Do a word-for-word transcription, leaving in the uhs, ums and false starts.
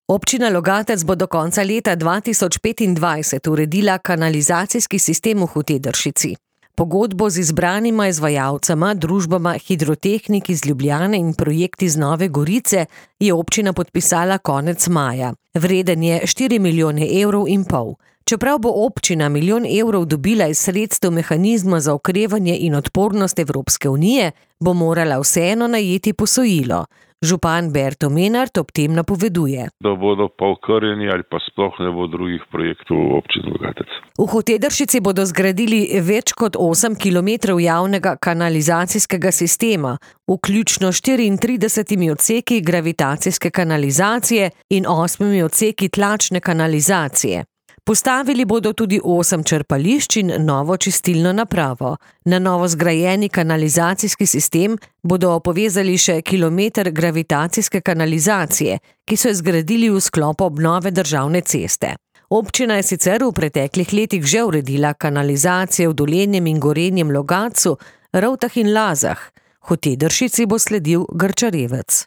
Občina Logatec bo do konca leta dva tisoč petindvajset uredila kanalizacijski sistem v Hotedršici. Pogodbo z izbranima izvajalcema, družbama Hidrotehnik iz Ljubljane in Projekt iz Nove Gorice, je občina podpisala konec maja. Vreden je štiri milijone evrov in pol. Čeprav bo občina milijon evrov dobila iz sredstev mehanizma za okrevanje in odpornost Evropske unije, bo morala vseeno najeti posojilo. Župan Berto Menart ob tem napoveduje. Da bodo pa okrnjeni ali pa sploh ne bo drugih projektov v občini Logatec. V Hotedršici bodo zgradili več kot osem kilometrov javnega kanalizacijskega sistema, vključno štiriintridesetimi odseki gravitacijske kanalizacije in osmimi odseki tlačne kanalizacije. Postavili bodo tudi osem črpališč in novo čistilno napravo. Na novo zgrajeni kanalizacijski sistem bodo povezali še kilometer gravitacijske kanalizacije, ki so jo zgradili v sklopu obnove državne ceste. Občina je sicer v preteklih letih že uredila kanalizacije v Dolenjem in Gorenjem Logatcu, Rovtah in Lazah. Hotedršici bo sledil Grčarevec.